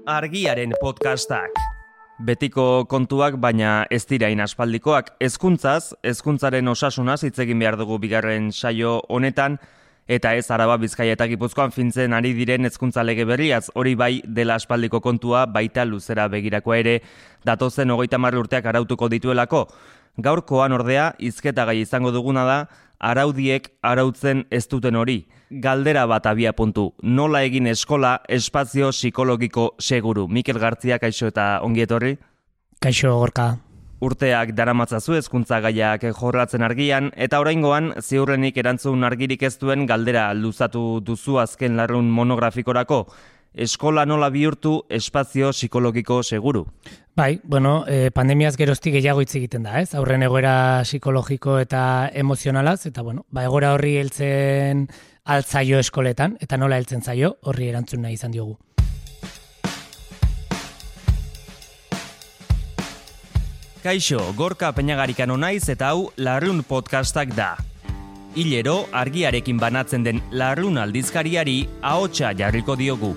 Argiaren podcastak. Betiko kontuak, baina ez dirain aspaldikoak. Hezkuntzaren osasunaz hitz egin behar dugu bigarren saio honetan, eta ez Araba, Bizkaia eta Gipuzkoan fintzen ari diren hezkuntza lege berriaz, hori bai dela aspaldiko kontua, baita luzera begirakoa ere, datozen 30 urteak arautuko dituelako. Gaurkoan ordea, hizketagai izango duguna da, araudiek arautzen ez duten hori. Galdera bat abiapuntu. Nola egin eskola espazio psikologiko seguru? Mikel Gartzia, kaixo eta ongi etorri? Kaixo, Gorka. Urteak daramatzazu hezkuntza gaiak jorratzen Argian, eta oraingoan ziurrenik erantzun argirik ez duen galdera luzatu duzu azken larrun monografikorako. Eskola nola bihurtu espazio psikologiko seguru? Bai, pandemiaz geroztik gehiago hitz egiten da, ez? Aurren egoera psikologiko eta emozionalaz, eta egoera horri heltzen altzaio eskoletan, eta nola heltzen zaio horri erantzun nahi izan diogu. Kaixo, Gorka Peñagarikano naiz eta hau Larrun podcastak da. Hilero, Argiarekin banatzen den Larrun aldizkariari ahotsa jarriko diogu.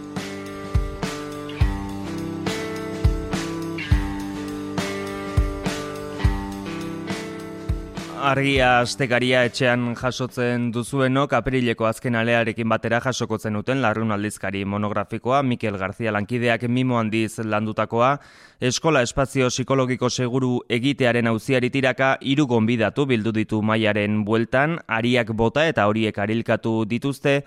Argia astekaria etxean jasotzen duzuenok aprileko azken alearekin batera jasokotzen duten Larrun aldizkari monografikoa, Mikel Gartzia lankideak mimo handiz landutakoa, eskola espazio psikologiko seguru egitearen auziari tiraka 3 gonbidatu bildu ditu mahaiaren bueltan, ariak bota eta horiek arilkatu dituzte.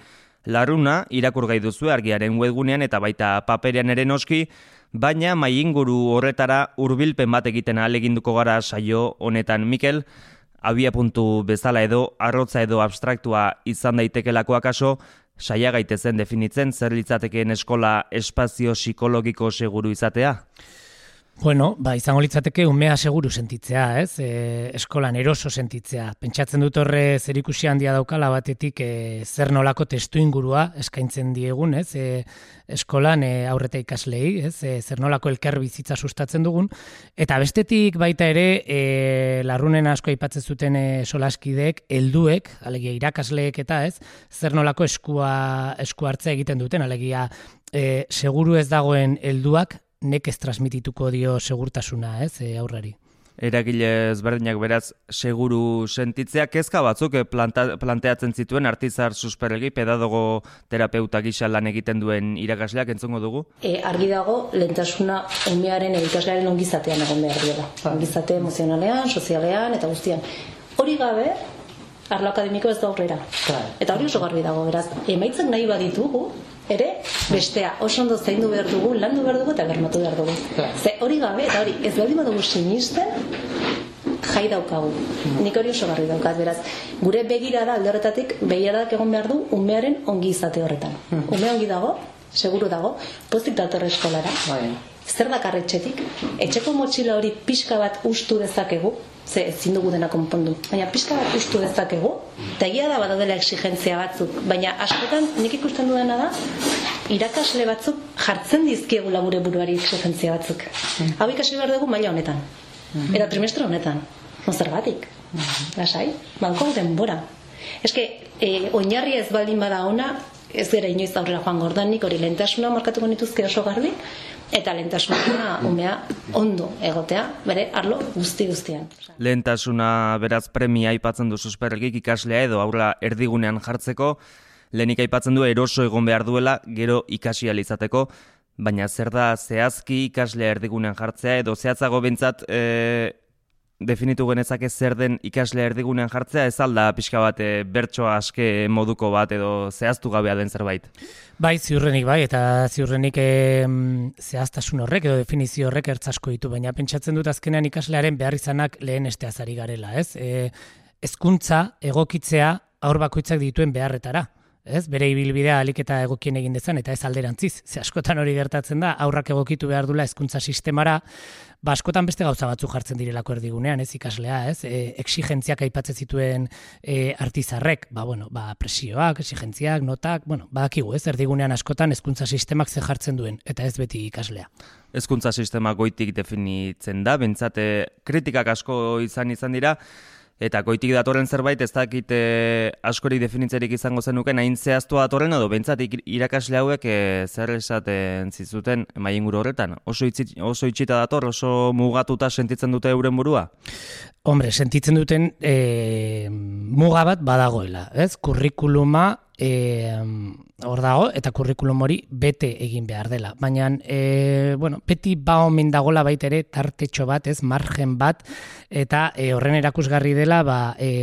Larruna irakurgai duzu Argiaren webgunean eta baita paperean ere noski, baina mahai inguru horretara hurbilpen bat egiten ahaleginduko gara saio honetan. Mikel, abiapuntu bezala edo, arrotza edo abstraktua izan daitekelako akaso, saia gaitezen definitzen zer litzatekeen eskola espazio psikologiko seguru izatea? Izango litzateke umea seguru sentitzea, ez? Eskolan eroso sentitzea. Pentsatzen dut horre zerikusi handia daukala batetik zer nolako testu ingurua eskaintzen diegun, ez? Eskolan aurreta ikaslei, ez? Zer nolako elkar bizitza sustatzen dugun. Eta bestetik baita ere, Larrunen asko aipatzen zuten solaskideek, helduek, alegia irakasleek eta ez, zer nolako esku hartzea egiten duten, alegia seguru ez dagoen helduak, nekez transmitituko dio segurtasuna, ez, aurrari. Eragile ezberdinak beraz seguru sentitzea, kezka batzuk planteatzen zituen Artizar Susperregi, pedagogo terapeuta gisa lan egiten duen irakasleak, entzungo dugu? Argi dago, lehentasuna umearen ikaslearen ongizatean egon behar dira. Ongizate emozionalean, sozialean eta guztian. Hori gabe, arlo akademiko ez da aurrera. Eta hori oso garbi dago, beraz, emaitzak nahi baditugu, ere, bestea, oso ondo zaindu behar dugu, landu behar dugu eta bermatu behar dugu. Ze hori gabe, eta hori ez baldin badugu sinisten, jai daukagu. Nik hori oso garri daukat, beraz. Gure begirada alde horretatik, begiradak egon behar du umearen ongi izate horretan. Ume ongi dago, seguru dago, pozik dator eskolara. Zer dakar etxetik? Etxeko motxila hori pixka bat ustu dezakegu, ze ezin dugu dena konpondu, baina pixka bat ustu dezakegu, eta egia da badaudela exigentzia batzuk, baina askotan nik ikusten duena da, irakasle batzuk jartzen dizkiegula gure buruari exigentzia batzuk. Hau ikasi behar dugu maila honetan, eta trimestre honetan, zergatik, lasai, banko denbora. Eske, oinarria ez baldin bada ona, ez gara inoiz aurrera joan gordanik, hori lehentasuna markatuko nituzke oso garbi, eta lehentasuna umea ondo egotea, bere arlo guztian. Lehentasuna beraz premia aipatzen du Susperregik ikaslea edo aurra erdigunean jartzeko, lehenik aipatzen du eroso egon behar duela gero ikasi ahal izateko, baina zer da zehazki ikaslea erdigunean jartzea edo zehatzago behintzat definitu genezake zer den ikaslea erdigunean jartzea, ez alda pixka bat bertsoa aske moduko bat edo zehaztu gabea den zerbait? Bai, ziurrenik bai, eta ziurrenik zehaztasun horrek edo definizio horrek ertzasko ditu, baina pentsatzen dut azkenean ikaslearen behar izanak lehen esteaz ari garela, ez? Hezkuntza egokitzea haur bakoitzak dituen beharretara. Ez, bere ibilbidea ahalik eta egokien egin dezan, eta ez alderantziz. Ze askotan hori gertatzen da, aurrak egokitu behar dula hezkuntza sistemara, askotan beste gauza batzuk jartzen direlako erdigunean, ez ikaslea, ez? Exigentziak aipatzen zituen Artizarrek, presioak, exigentziak, notak, badakigu, ez? Erdigunean askotan hezkuntza sistemak ze jartzen duen, eta ez beti ikaslea. Hezkuntza sistema goitik definitzen da, bentsate kritikak asko izan dira, Eta goitik datorren zerbait, ez dakit askori definitzerik izango zenuken, hain zehaztua datorren edo behintzat irakasle hauek zer esaten zizuten mailinguru horretan? Oso itxita dator, oso mugatuta sentitzen dute euren burua? Hombre, sentitzen duten muga bat badagoela, ez? Kurrikuluma hor dago, eta kurrikulum hori bete egin behar dela. Baina, beti omen dagola baita ere tartetxo bat, ez, margen bat, eta horren erakusgarri dela,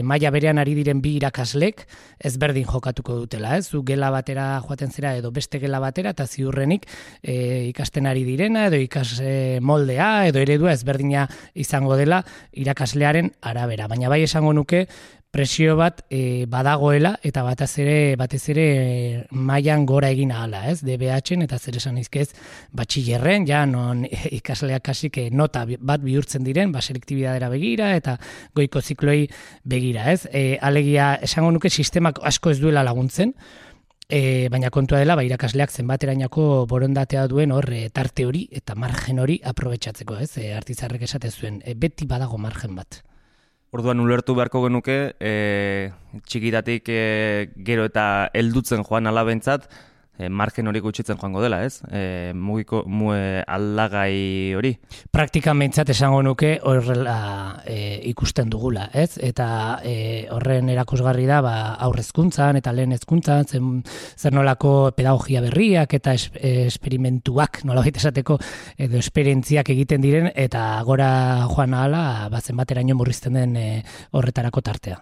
maila berean ari diren bi irakaslek ezberdin jokatuko dutela, ez? Zu gela batera joaten zera edo beste gela batera, eta ziurrenik ikasten ari direna, edo ikas moldea, edo eredua ezberdina izango dela irakaslearen arabera. Baina bai esango nuke, presio bat badagoela eta batez ere mailan gora egin ahala, ez? DBH-en eta zer esan izkez batxillerren, ja non ikasleak kasik nota bat bihurtzen diren, selektibidadera begira eta goiko zikloei begira, ez? Alegia esango nuke sistemak asko ez duela laguntzen, baina kontua dela irakasleak zenbaterainako borondatea duen hor tarte hori eta margen hori aprobetxatzeko, ez? Artizarrek esate zuen, beti badago margen bat. Orduan ulertu beharko genuke, txikitatik gero eta heldutzen joan alabentzat, margen hori gutxitzen joango dela, ez? Aldagai hori. Praktikan behintzat esango nuke horrela ikusten dugula, ez? Eta horren erakusgarri da aurrezkuntzan eta lehen hezkuntzan zer nolako pedagogia berriak eta esperimentuak, nolabait esateko, edo esperientziak egiten diren eta gora joan ahala zenbateraino murrizten den horretarako tartea.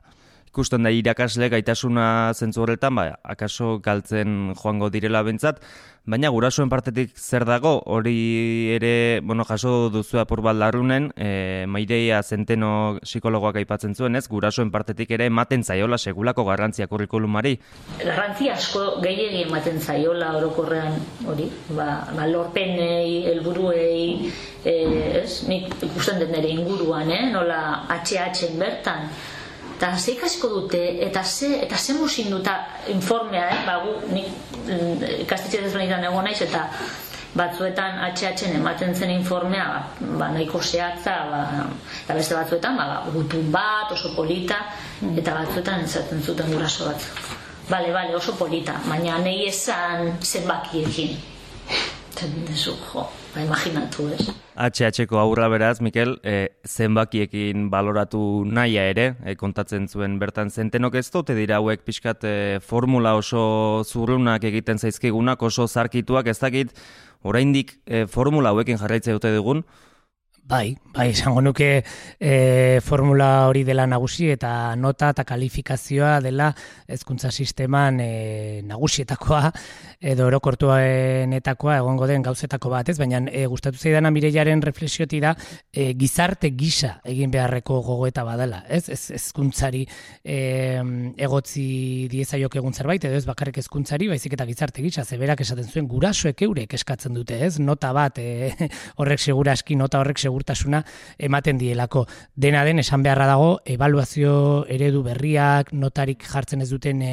Ikusten da irakasle gaitasuna zentzu horretan, akaso galtzen joango direla bentsat, baina gurasoen partetik zer dago, hori ere, jaso duzu apur bat larrunen, Maireia Zenteno psikologoak aipatzen zuen, ez? Gurasoen partetik ere ematen zaiola segulako garrantzia kurrikulumari. Garrantzia asko gehiegi ematen zaiola orokorrean hori, lorpenei, helburuei, ez? Nik ikusten den ere inguruan, nola HH-en bertan, eta ze ikasiko dute, eta ze muzin duta informea, nik ikastetxe desbenitan egon naiz, eta batzuetan HH-en ematen zen informea, nahiko zehatza, eta beste batzuetan, gutun bat, oso polita, eta batzuetan entzaten zuten guraso bat. Bale, oso polita, baina nahi esan zenbakiekin. Zendezu, imaginatu, ez? HH-ko aurra beraz, Mikel, zenbakiekin baloratu nahia ere, kontatzen zuen bertan Zentenok ez dute dira hauek pixkat formula oso zurrunak egiten zaizkigunak, oso zarkituak, ez dakit, oraindik formula hauekin jarraitzea dute dugun? Bai, esango nuke formula hori dela nagusi eta nota eta kalifikazioa dela hezkuntza sisteman nagusietakoa edo orokortuenetakoa egongo den gauzetako bat, ez? Baina gustatu zaidana Mireiaren reflexioti da gizarte gisa egin beharreko gogoeta badela, ez? Hezkuntzari egotzi diezaiok egun zerbait edo ez bakarrik hezkuntzari, baizik eta gizarte gisa, zeberak esaten zuen gurasoek eurek eskatzen dute, ez? Nota bat horrek seguraski nota horrek segurtasuna ematen dielako. Dena den esan beharra dago ebaluazio eredu berriak, notarik jartzen ez duten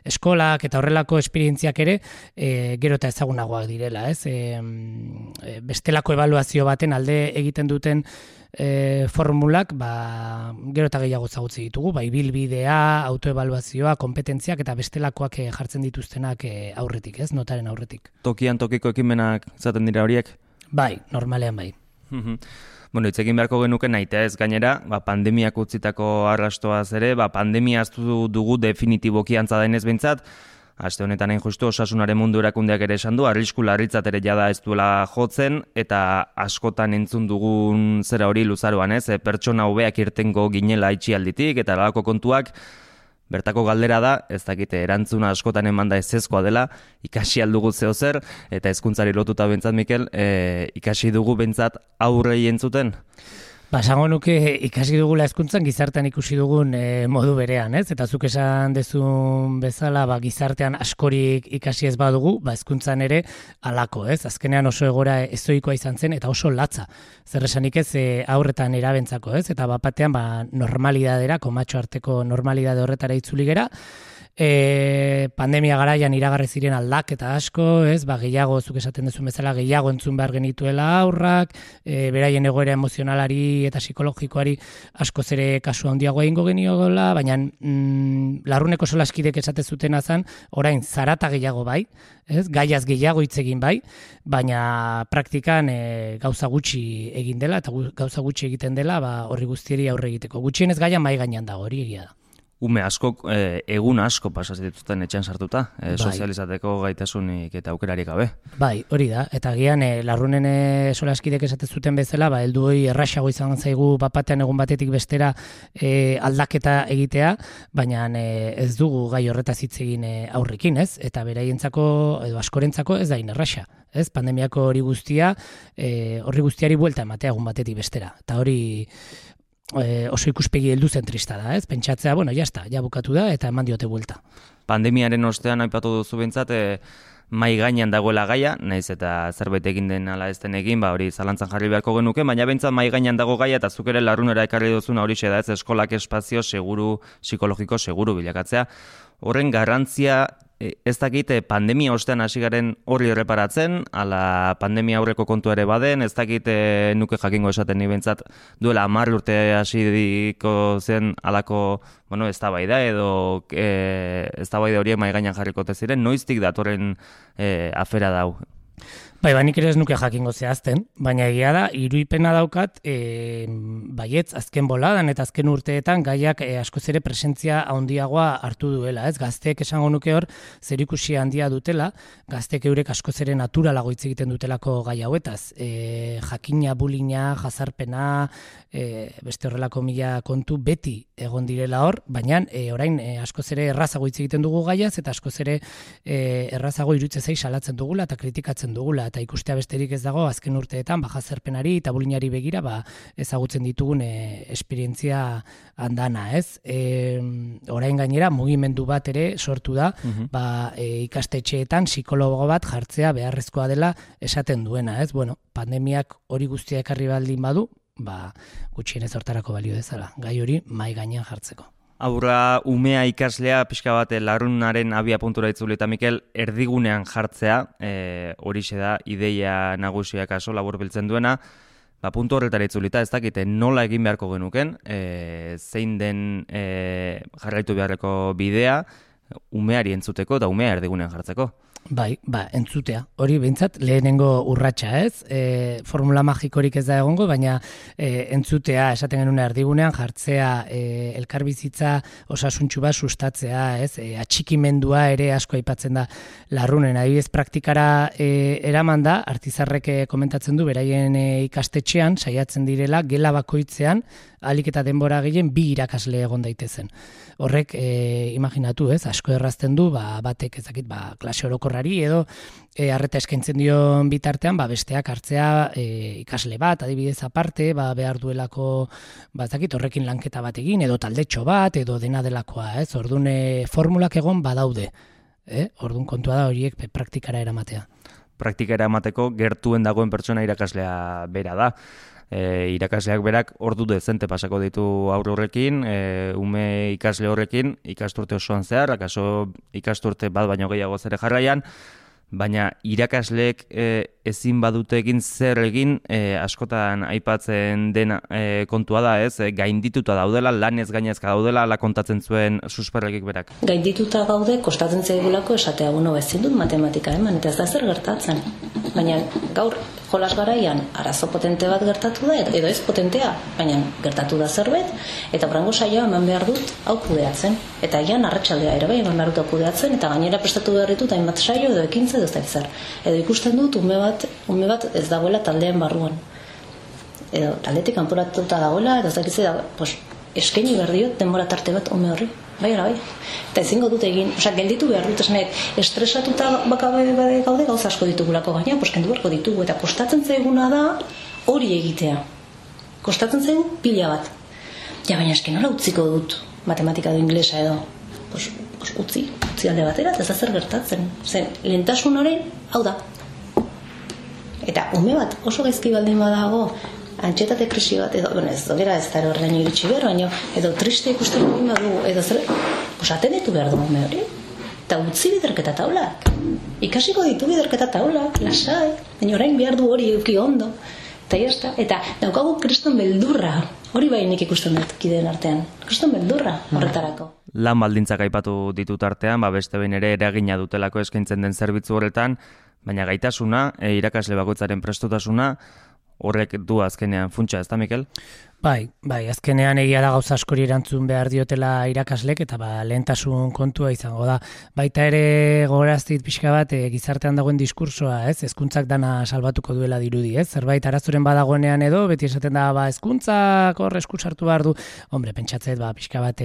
eskolak eta horrelako esperientziak ere gero eta ezagunagoak direla, ez? Bestelako ebaluazio baten alde egiten duten formulak gero eta gehiago ezagutzi ditugu, bilbidea, autoebaluazioa, kompetentziak eta bestelakoak jartzen dituztenak aurretik, ez? Notaren aurretik. Tokian tokiko ekimenak izaten dira horiek? Bai, normalean bai. Hitz egin beharko genuke naita ez gainera, pandemiak utzitako arrastoaz ere, pandemia aztu dugu definitiboki antza denez behintzat, aste honetan hain justu osasunaren mundu erakundeak ere esan du, arrisku larritzat ere jada ez duela jotzen, eta askotan entzun dugun zera hori luzaroan, ez? Pertsona hobeak irtengo ginela itxialditik, eta alako kontuak, bertako galdera da, ez dakite erantzuna askotan emanda ezezkoa dela, ikasi aldugu zehozer, eta hezkuntzari lotuta bentsat, Mikel, ikasi dugu bentsat aurrei entzuten? Esango nuke ikasi dugula hezkuntzan gizartean ikusi dugun modu berean, ez? Eta zuk esan dezun bezala gizartean askorik ikasi ez badugu, hezkuntzan ere halako, ez? Azkenean oso egora ezoikoa izan zen eta oso latza. Zer esanik ez aurretan erabentzako, ez? Eta batean normalidadera, komatxo arteko normalidade horretara itzuli gera, pandemia garaian iragarri ziren aldaketa asko, ez? Gehiago, zuk esaten duzu bezala, gehiago entzun behar genituela aurrak, beraien egoera emozionalari eta psikologikoari askoz ere kasu handiago egingo geniola, baina larruneko solaskidek esate zutena zen, orain zarata gehiago bai, ez? Gaiaz gehiago hitz egin bai, baina praktikan gauza gutxi egin dela eta gauza gutxi egiten dela horri guztieri aurre egiteko. Gutxienez gaia mai gainean dago, hori egia da. Ume asko, egun asko pasaz dituzten etxean sartuta, sozializateko gaitasunik eta aukerarik gabe. Bai, hori da, eta gian larrunen solaskidek esate zuten bezala, heldu hori erraxago izan zaigu bapatean egun batetik bestera aldaketa egitea, baina ez dugu gai horretaz hitz egin aurrekin, ez? Eta beraientzako edo askorentzako ez da erraxa, ez? Pandemiako hori guztiari buelta ematea egun batetik bestera, eta hori oso ikuspegi heldu zentrista da, ez? Pentsatzea, ja bukatu da eta eman diote buelta. Pandemiaren ostean aipatu duzu behintzat, mai gainean dagoela gaia, naiz eta zerbait egin den ala ez den egin, hori zalantzan jarri beharko genuke, baina behintzat mai gainean dago gaia eta zuk ere larrunera ekarri duzuna horixe da, ez? Eskolak espazio seguru, psikologiko seguru bilakatzea. Horren garrantzia ez dakit pandemia ostean hasi garen horri erreparatzen, ala pandemia aurreko kontu ere baden, ez dakit nuke jakingo esaten ni behintzat duela 10 urte hasiko zen alako, eztabaida edo eztabaida horiek mahai gainean jarriko ziren, noiztik datorren afera dau? Bai, nik ere ez nuke jakingo zehazten, baina egia da, iruipena daukat, baietz, azken boladan eta azken urteetan gaiak askoz ere presentzia handiagoa hartu duela, ez? Gazteek esango nuke hor, zerikusi handia dutela, gazteek eurek askoz ere naturalago hitz egiten dutelako gai hauetaz. Jakina, bulina, jazarpena, beste horrelako mila kontu beti egon direla hor, baina orain askoz ere errazago hitz egiten dugu gaiaz, eta askoz ere errazago iruditzen zait salatzen dugula eta kritikatzen dugula, eta ikustea besterik ez dago azken urteetan jazarpenari eta bulinari begira ezagutzen ditugun esperientzia handana, ez? Orain gainera mugimendu bat ere sortu da, ikastetxeetan psikologo bat jartzea beharrezkoa dela esaten duena, ez? Pandemiak hori guztia ekarri baldin badu, gutxienez hortarako balio dezala, gai hori mai gainean jartzeko. Aurra umea ikaslea pixka bat larrunaren abia puntura itzuli eta Mikel erdigunean jartzea, horixe da ideia nagusiak aso laburbiltzen duena, puntu horretara itzulita ez dakite nola egin beharko genuken, zein den jarraitu beharreko bidea umeari entzuteko eta umea erdigunean jartzeko. Bai, entzutea. Hori behintzat lehenengo urratsa, ez? Formula magikorik ez da egongo, baina entzutea, esaten genuen erdigunean jartzea, elkarbizitza osasuntsu bat sustatzea, ez? Atxikimendua ere asko aipatzen da larrunen. Adibidez praktikara eraman da, Artizarrek komentatzen du, beraien ikastetxean, saiatzen direla, gela bakoitzean, ahalik eta denbora gehien 2 irakasle egon daitezen. Horrek, imaginatu, ez? Asko errazten du, batek ezakit, klase orokorrari edo arreta eskaintzen dion bitartean, besteak hartzea ikasle bat, adibidez aparte, behar duelako, ezakit, horrekin lanketa bat egin, edo taldetxo bat, edo dena delakoa, ez? Orduan formulak egon badaude, orduan kontua da horiek praktikara eramatea. Praktikara emateko gertuen dagoen pertsona irakaslea bera da. Irakasleak berak ordu dezente pasako ditu aurre horrekin, ume ikasle horrekin, ikasturte osoan zehar, akaso ikasturte bat baino gehiago zere jarraian, baina irakasleek ezin badute egin zer egin askotan aipatzen den kontua da, ez? Gaindituta daudela, lanez gainezka daudela, ala kontatzen zuen susperrekik berak. Gaindituta gaude, kostatzen zaigulako esatea, ezin dut matematika eman, eta ez da zer gertatzen. Baina gaur jolas garaian arazo potente bat gertatu da, edo ez potentea, baina gertatu da zerbait, eta brango saioa eman behar dut hau kudeatzen. Eta ian arratsaldea ere bai eman behar dut hau kudeatzen, eta gainera prestatu behar ditut hainbat saio edo ekintza edo ez dakizar. Edo ikusten dut ume bat ez dagoela taldean barruan. Edo taldetik kanporatuta dagoela, edo ez dakizar, eskaini behar diot denbora tarte bat ume horri. Bai. Eta ezingo dut egin, gelditu behar dut esnek, estresatuta bakabe gaude gauza asko ditugulako gaina, kendu beharko ditugu, eta kostatzen zaiguna da hori egitea. Kostatzen zaigu pila bat. Baina esken nola utziko dut, matematika edo inglesa edo, utzi alde batera, eta ez da zer gertatzen. Zen, lehentasun horrein, hau da. Eta ume bat oso gaizki baldin badago, antxetate krisi bat, edo, ez da horrein iritsi behar, baina edo triste ikusten egin badu, edo zer, pues atenditu behar du ume hori. Eta utzi biderketa taulak. Ikasiko ditu biderketa taulak, lasai, baina orain behar du hori euki ondo. Eta jazta, eta daukagu kriston beldurra, hori bai nik ikusten dut kideen artean, kriston beldurra horretarako. Lan baldintzak aipatu ditut artean, beste behin ere eragina dutelako eskaintzen den zerbitzu horretan, baina gaitasuna, irakasle bakoitzaren prestutasuna, horrek du azkenean funtsa, ez da, Mikel? Bai, azkenean egia da gauza askori erantzun behar diotela irakaslek, eta lehentasun kontua izango da. Baita ere gogoraztit pixka bat gizartean dagoen diskursoa, ez? Hezkuntzak dana salbatuko duela dirudi, ez? Zerbait arazoren badagoenean edo, beti esaten da, hezkuntzak hor esku sartu behar du. Hombre, pentsatzet, pixka bat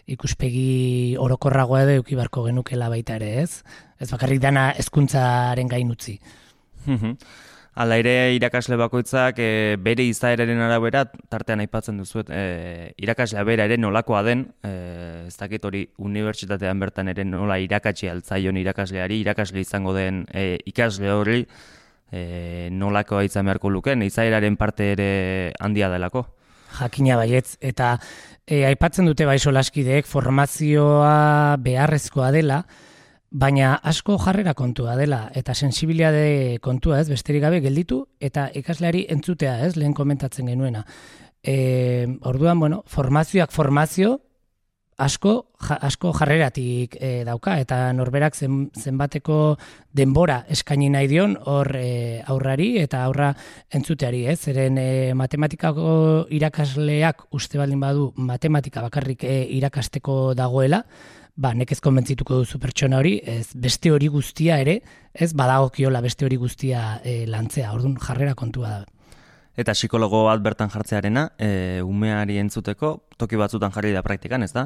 ikuspegi orokorragoa edo euki barko genukela baita ere, ez? Ez bakarrik dana hezkuntzaren gain utzi. Hala ere, irakasle bakoitzak bere izaeraren arabera, tartean aipatzen duzuet, irakaslea bera ere nolakoa den, ez dakit hori unibertsitatean bertan ere nola irakatsi altzaion irakasleari, irakasle izango den ikasle hori nolakoa izan beharko luken, izaeraren parte ere handia delako. Jakina baietz, eta aipatzen dute solaskideek formazioa beharrezkoa dela, baina asko jarrera kontua dela, eta sensibilitate kontua, ez, besterik gabe gelditu, eta ikasleari entzutea, ez, lehen komentatzen genuena. Orduan, formazioak formazio, asko jarreratik dauka, eta norberak zenbateko denbora eskaini nahi dion hor aurrari eta aurra entzuteari, ez? Zeren matematikako irakasleak uste baldin badu matematika bakarrik irakasteko dagoela, nekez konbentzituko duzu pertsona hori, ez beste hori guztia ere, ez badagokiola beste hori guztia lantzea, orduan jarrera kontua da. Eta psikologo bat bertan jartzearena, umeari entzuteko, toki batzutan jarri da praktikan, ez da?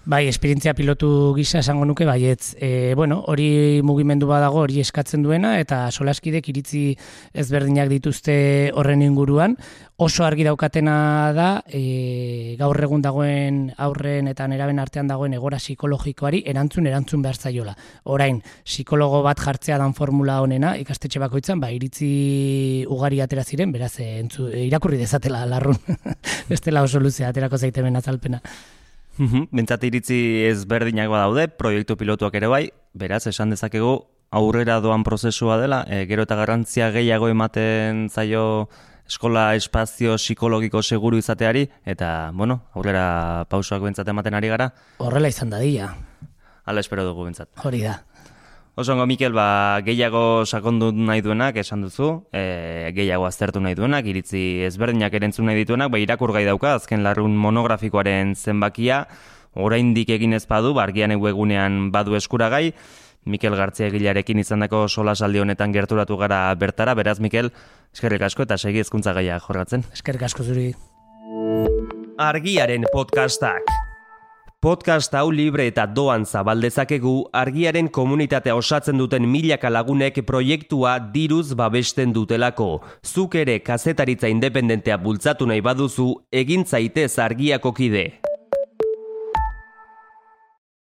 Bai, esperientzia pilotu gisa esango nuke, baietz, hori mugimendu badago, hori eskatzen duena, eta solaskidek iritzi ezberdinak dituzte horren inguruan, oso argi daukatena da, gaur egun dagoen aurren eta neraben artean dagoen egora psikologikoari erantzun behar zaiola. Orain, psikologo bat jartzea dan formula honena, ikastetxe bakoitzan, iritzi ugari atera ziren, beraz, irakurri dezatela larrun, bestela oso luzea aterako zaitemen azalpena. Bentsat iritzi ezberdinak badaude, proiektu pilotuak ere bai, beraz, esan dezakegu aurrera doan prozesua dela, gero eta garrantzia gehiago ematen zaio eskola espazio psikologiko seguru izateari, eta, aurrera pausoak bentsat ematen ari gara. Horrela izan dadila. Hala espero dugu bentsat. Hori da. Osongo, Mikel, gehiago sakondu nahi duenak esan duzu, gehiago aztertu nahi duenak, iritzi ezberdinak erentzun nahi dituenak, irakurgai dauka, azken larrun monografikoaren zenbakia, oraindik egin ez badu, argian egunean badu eskuragai, Mikel Gartzia egilearekin izandako solasaldi honetan gerturatu gara bertara, beraz, Mikel, eskerrik asko eta segi hezkuntza gaia jorratzen. Eskerrik asko zuri. Argiaren podcastak. Podcast hau libre eta doan zabaldezakegu Argiaren komunitatea osatzen duten milaka lagunek proiektua diruz babesten dutelako. Zuk ere kazetaritza independentea bultzatu nahi baduzu, egin zaitez Argiako kide.